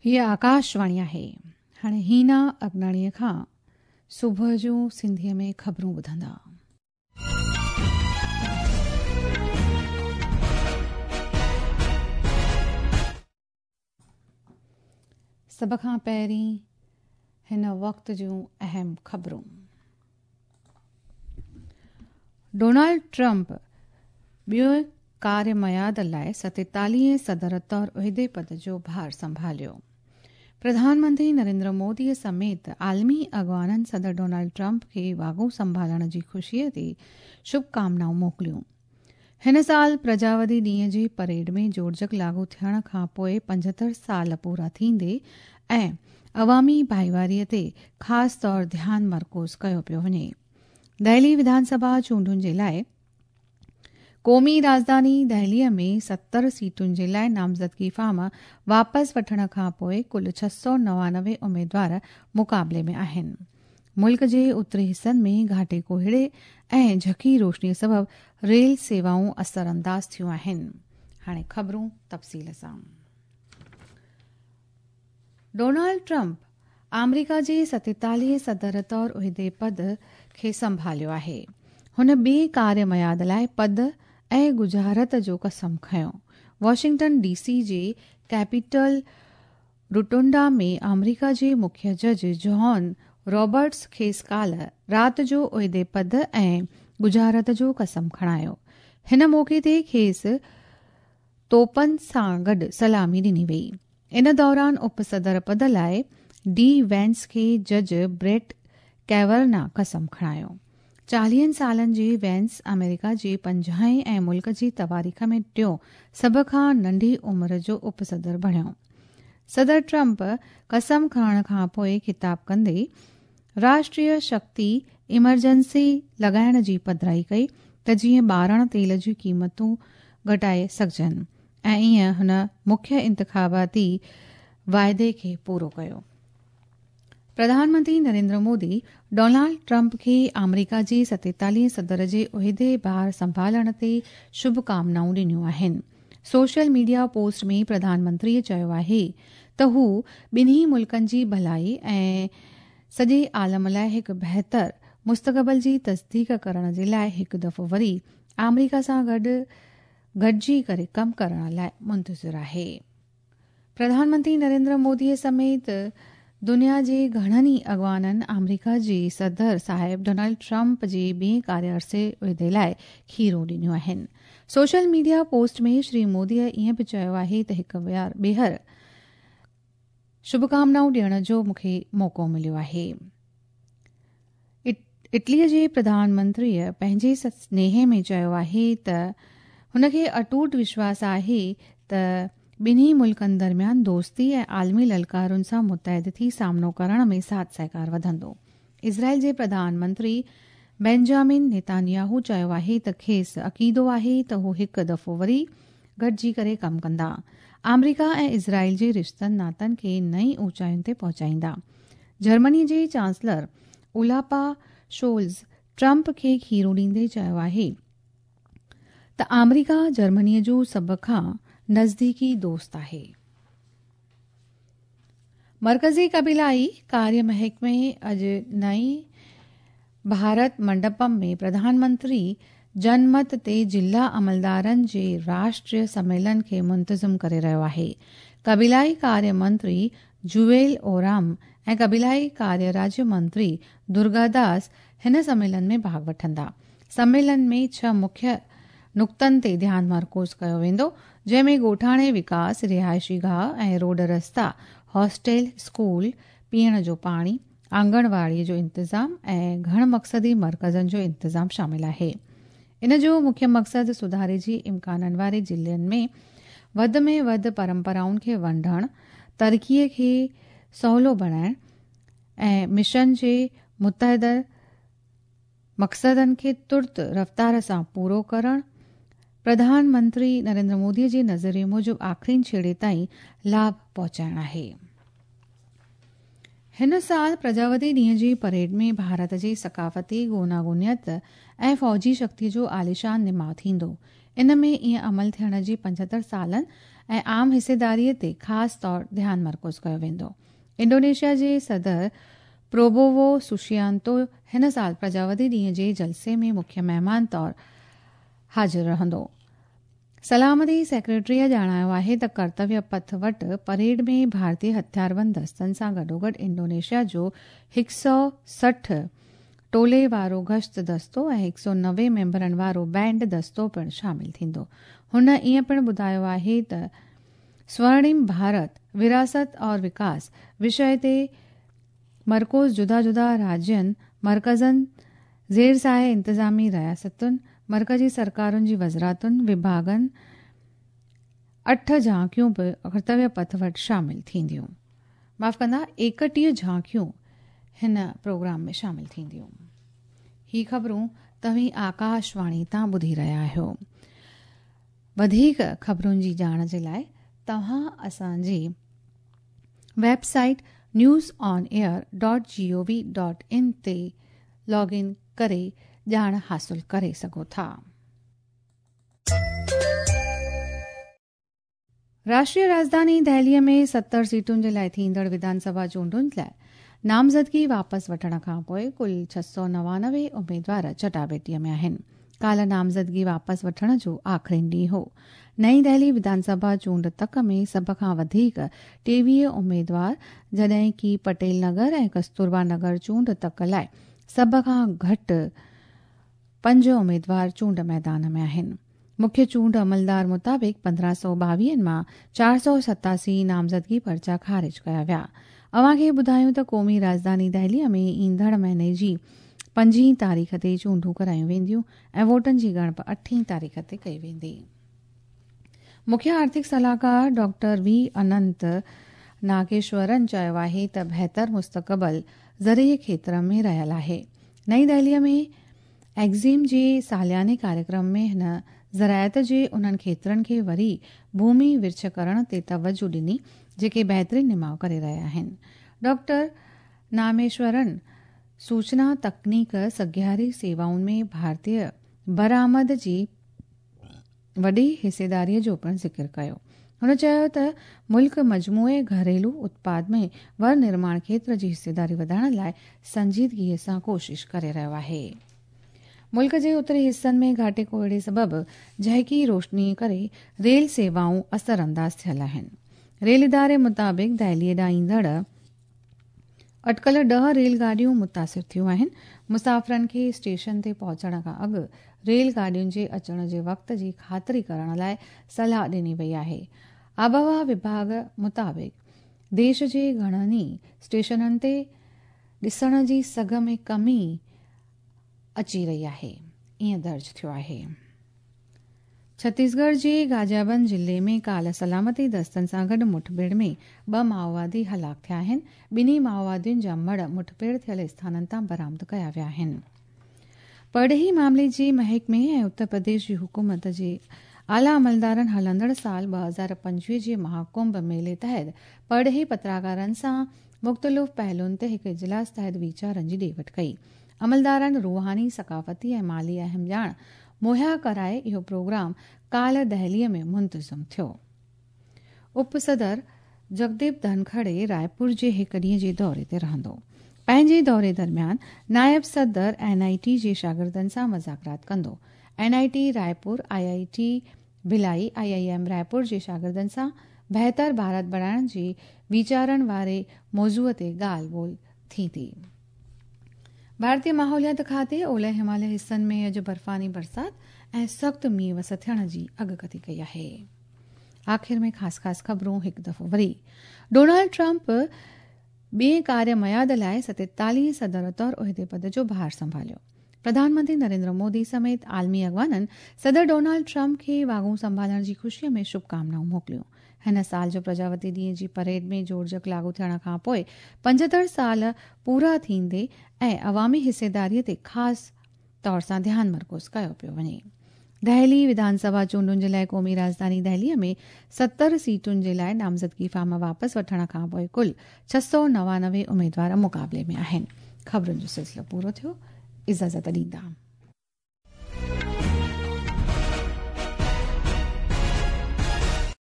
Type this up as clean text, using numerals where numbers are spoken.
هيء آڪاشواڻي آهي. هاڻي هينا اگناڻيء کان صبح جون سنڌيء ۾ خبرون ٻڌندا. سڀ کان پهرين هن وقت جون اهم خبرون. ڊونالڊ ٽرمپ ٻئي ڪاريه ميعاد لاء ستيتاليهين صدر طور عهدي پد جو ڀار سنڀاليو. پرڌان منتري نريندر مودي سميت عالمي اڳواڻن صدر ڊونالڊ ٽرمپ کي واڳون سنڀالڻ جي خوشي تي شڀ ڪامنائون موڪليون. هن سال پرجاوادي ڏينهن جي پريڊ ۾ جوڙجڪ لاڳو ٿيڻ کان پوء 75 سال پورا ٿيندي ۽ عوامي ڀائيواري تي خاص طور ڌيان مرڪوز ڪيو پيو وڃي. دهلي وڌان سڀا چونڊن جي لاء قومي راڄڌاني دهلي ۾ 70 سيٽن جي لاء نامزدگي فارم واپس وٺڻ کان پوء ڪل 699 اميدوار مقابلي ۾ آهن. ملڪ جي اتري حصن ۾ گهاٽي ڪوهيڙي ۽ جهڪي روشني سبب ريل سيوائون اثرانداز ٿيون آهن. هاڻي خبرون تفصيل سان. ڊونالڊ ٽرمپ آمريڪا جي ستيتاليهين صدر طور عهدي پد کي سنڀاليو آهي. هن ٻئي ڪاريه ميعاد لاء پد ۽ ڳجهارت جو قسم کنيو. واشنگٽن ڊي سي جي ڪيپيٽل روٽونڊا ۾ آمريڪا جي مکيه جج جان رابرٽس کيس ڪالهه رات جو عهدي پد ۽ ڳجهارت جو قسم کڻايو. هن موقعي تي کيس توپن سان گڏ سلامي ڏني وئي. ان دوران اپ صدر پد لاء ڊي وينس کي جج بريٽ ڪيورنا قسم کڻايو. چاليهن سالن جي وينس آمريڪا جي پنجاهين ۽ ملڪ جي تواريخ ۾ ٽيون سڀ کان ننڍي عمر جو اپ صدر بڻيو. صدر ٽرمپ قسم کڻڻ کان پوء خطاب ڪندي راشٽريه شڪتي ايمرجنسي لڳائڻ جي پڌرائي ڪئي ته جيئن ٻارڻ تيل جون قيمتون گهٽائي سگهجن ۽ ائين هن مکيه انتخاباتي واعدي کي پورو ڪيو. پرڌان منتري نريندر مودي ڊونالڊ ٽرمپ کي آمريڪا جي ستيتاليهين صدر جي عهدي ڀار سنڀالڻ تي شڀ ڪامنائون ڏنيون آهن. Social media post ۾ Pradhan Mantri چيو آهي ته هو ٻنهي ملڪن جي ڀلائي ۽ سڄي عالم لاء هڪ بهتر مستقبل جي تصديق ڪرڻ جي لاء هڪ دفعو وري آمريڪا سان گڏ گڏجي ڪري ڪم ڪرڻ لاء منتظر آهي. پرڌان منتري نريندر مودي سميت دنيا جي گهڻن ئي اڳواڻن آمريڪا جي صدر صاحب ڊونلڊ ٽرمپ جي ٻئي ڪاريه عرصي عهدي لاء کيرون ڏنيون آهن. Social media post ۾ Shri Modi ائين به چيو آهي ته هڪ ٻيهر شڀڪامنائون ڏيڻ جو مون کي موقعو مليو آهي. اٽليء جي پرڌان منتريء پنهنجي سنيهي ۾ چيو آهي ته هن کي اٽوٽ وشواس آهي ته ٻنهي ملڪن درميان دوستي ۽ عالمي للڪارن سان متحد ٿي سامنو ڪرڻ ۾ ساٿ سهڪار وڌندو. اسرائيل جي پرڌان منتري بينجامن نيتانياهو چيو آهي ته کيس عقيدو آهي ته هو هڪ دفعو وري گڏجي ڪري ڪم ڪندا. آمريڪا ۽ اسرائيل جي رشتن ناتن کي نئين اوچاين تي پهچائيندا. جرمني جي چانسلر اولاپا شولز ٽرمپ کي کيرون ڏيندي چيو آهي ته آمريڪا جرمني جو سڀ کان نزديڪي دوست آهي. مرڪزي قبيلائي ڪاريه محڪمي اڄ نئين ڀارت منڊپم ۾ پرڌان منتري جنمت تي ضلع عملدارن جي راشٽريه سميلن کي منتظم ڪري رهيو آهي. قبيلائي ڪاريه منتري جوئيل اورام ۽ قبيلائي ڪاريه راجيه منتري درگاداس هن سميلن ۾ ڀاڳ وٺندا. سميلن ۾ ڇهه مکيه نقطن تي ڌيان مرڪوز ڪيو ويندو، جنهن ۾ ڳوٺاڻي وڪاس، رهائشي گاهه ۽ روڊ رستا، هاسٽل، اسڪول، پيئڻ جو پاڻي، آنگڻواڙي جو انتظام ۽ گهڻ مقصدي مرڪزن جو انتظام شامل آهي. ان جو مکيه مقصد سڌاري جي امڪانن واري ضلعن ۾ وڌ ۾ وڌ پرمپرائن کي ونڊڻ، ترقي کي سولو بڻائڻ ۽ مشن جي متحده مقصدن کي ترت رفتار سان پورو ڪرڻ، پرڌان منتري نريندر مودي جي نظريي موجب آخرين ڇيڙي تائين لاڀ پهچائڻ آهي. هن سال پرجاوتي ڏينهن جي پريڊ ۾ ڀارت جي ثقافتي گوناگونيت ۽ فوجي شڪتي جو عاليشان نماء ٿيندو. ان ۾ ائين عمل ٿيڻ جي 75 سالن ۽ عام حصيداري تي خاص طور ڌيان مرڪوز ڪيو ويندو. انڊونيشيا جي صدر پروبوو سوشيانتو هن سال پرجاوتي ڏينهن جي جلسي ۾ مکيه مهمان طور حاضر رهندو. سلامتي سيڪريٽريء ڄاڻايو آهي ته ڪرتويه پٿ وٽ پريڊ ۾ ڀارتي هٿياربند دستن سان گڏوگڏ انڊونيشيا جو هڪ سؤ 60 ٽولي وارو گشت دستو ۽ هڪ سؤ 90 ميمبرن وارو بينڊ دستو پڻ شامل ٿيندو. هن ائين پڻ ٻڌايو آهي ته سورڻيم ڀارت، وراثت اور وڪاس وشيه تي مرڪوز جدا جدا راجين، مرڪزن، زير سايه انتظامي رياستن، مرڪزي سرڪارن جي وزارتن، وڀاڳن، اٺ جهانڪيون به ڪرتويه پٿ وٽ شامل ٿينديون. معاف ڪندا 31 جهانڪيون هن پروگرام ۾ شامل ٿينديون. هي خبرون توهين آڪاشواڻي تان ٻڌي رهيا آهيو. وڌيڪ خبرن جي ڄاڻ جي لاء توهان اسان جي website news on air dot G O V dot in تي لاگ ان ڪري ڄاڻ حاصل ڪري سگهو ٿا. راشٽريه راڄڌاني دهليء ۾ 70 سيٽن جي لاء ٿيندڙ وڌان سڀا چونڊن لاء نامزدگي واپس وٺڻ کانپوء ڪل 699 اميدوار چٽاڀيٽيء ۾ آهن. ڪالهه نامزدگي واپس وٺڻ جو آخرين ڏينهن هو. نئين دهلي وڌان سڀا چونڊ تڪ ۾ سڀ کان وڌيڪ 23 اميدوار جڏهن ڪي پٽيل نگر ۽ ڪستوربا نگر چونڊ تڪ لاء سڀ کان گهٽ پنج اميدوار چونڊ ميدان ۾ آهن. مکيه چونڊ عملدار مطابق 1522 مان 487 نامزدگي پرچا خارج ڪيا ويا. اوهان کي ٻڌايون ته قومي راڄڌاني دهلي ۾ ايندڙ مهيني جي پنجين تاريخ تي چونڊون ڪرايون وينديون ۽ ووٽن جي ڳڻپ اٺين تاريخ تي ڪئي ويندي. مکيه آرٿڪ صلاحڪار ڊاڪٽر وي اننت ناگيشورن چيو آهي ته بهتر مستقبل زرعي کيتر ۾ رهيل آهي. نئين دهلي ۾ ايگزيم جي سالياني ڪاريڪرم ۾ هن زراعت جي انهن کيترن کي وري ڀومي ورڇ ڪرڻ تي توجهه ڏني جيڪي بهترين نماء ڪري رهيا آهن. ڊاڪٽر ناميشورن سوچنا تڪنيڪ سگهاري سيوائن ۾ ڀارتي برآمد جي وڏي حصيداري جو پڻ ذڪر ڪيو. هن چيو ته ملڪ مجموعي گهريلو اتپاد ۾ ور نرماڻ کيتر جي حصيداري وڌائڻ لاء سنجيدگي سان ڪوشش ڪري رهيو آهي. ملڪ جي اتري حصن ۾ گهاٽي ڪوهيڙي سبب جهڪي روشني ڪري ريل سيوائون اثرانداز ٿيل آهن. ريل اداري مطابق دهلي ڏانهن ايندڙ اٽڪل 10 ريل گاڏيون متاثر ٿيون آهن. مسافرن کي اسٽيشن تي پهچڻ کان اڳ ريل گاڏين جي اچڻ جي وقت جي خاطري ڪرڻ لاء صلاح ڏني وئي آهي. آبهوا وڀاڳ مطابق ديش جي گهڻن ئي اسٽيشنن تي ڏسڻ جي سگهه ۾ ڪمي اچي رهي آهي. ائين درج ٿيو آهي. ڇتيسڳڙهه جي غازيابند ضلعي ۾ ڪالهه سلامتي دستن سان گڏ مٺڀيڙ ۾ ٻه مائووادي هلاڪ ٿيا آهن، ٻنهي مائووادين جا مڙهه مٺڀيڙ ٿيل اسٿانن تان برآمد ڪيا ويا آهن. پرڏيهي معاملي جي محڪمي ۽ اتر پرديش جي حڪومت جي اعليٰ عملدارن هلندڙ سال 2025 جي مهاڪنڀ ميلي تحت پرڏيهي پتراڪارن سان مختلف پهلوئن تي هڪ اجلاس تحت ويچارن جي ڏي وٺ ڪئي. عملدارن روحاني، ثقافتي ۽ مالي اهم ڄاڻ مهيا ڪرائي اهو پروگرام ڪالهه دهليء ۾ منتظم ٿيو. اپ صدر جگديپ ڌنکڙي رائپور جي هڪ ڏينهن جي دوري تي رهندو. پنهنجي دوري درميان نائب صدر اين آء ٽي جي شاگردن سان مذاڪرات ڪندو. N I T Raipur, I I T Bhilai, I I M Raipur جي شاگردن سان بهتر ڀارت بڻائڻ جي ويچارن واري موضوع تي ڳالهه ٻولهه ٿيندي. ڀارتي ماحوليات کاتي اولهه هماليه حصن ۾ اڄ برفاني برسات ۽ سخت مينهن وس ٿيڻ جي اڳڪٿي ڪئي آهي. آخر ۾ خاص خاص خبرون هڪ دفعو وري. ڊونلڊ ٽرمپ ٻئين ڪاري ميعاد لاء 47 صدر طور عهدي پد جو ڀار سنڀاليو. پرڌان منتري نريندر مودي سميت عالمي اڳواڻن صدر ڊونلڊ ٽرمپ کي واڳون سنڀالڻ جي خوشي ۾ شڀڪامنائون موڪليون. هن سال جو پرجاوتي ڏينهن جي پريڊ ۾ جوڙجڪ لاڳو ٿيڻ کان پوء 75 سال پورا ٿيندي ۽ عوامي حصيداري تي خاص طور سان ڌيان مرڪوز ڪيو پيو وڃي. دهلي وڌان سڀا چونڊن جي لاء قومي راڄڌاني دهلي ۾ 70 سيٽن جي لاء نامزدگي فارم واپس وٺڻ کان پوء ڪل 699 اميدوار مقابلي ۾ آهن. خبرن جو سلسلو پورو ٿيو. اجازت ڏيندا.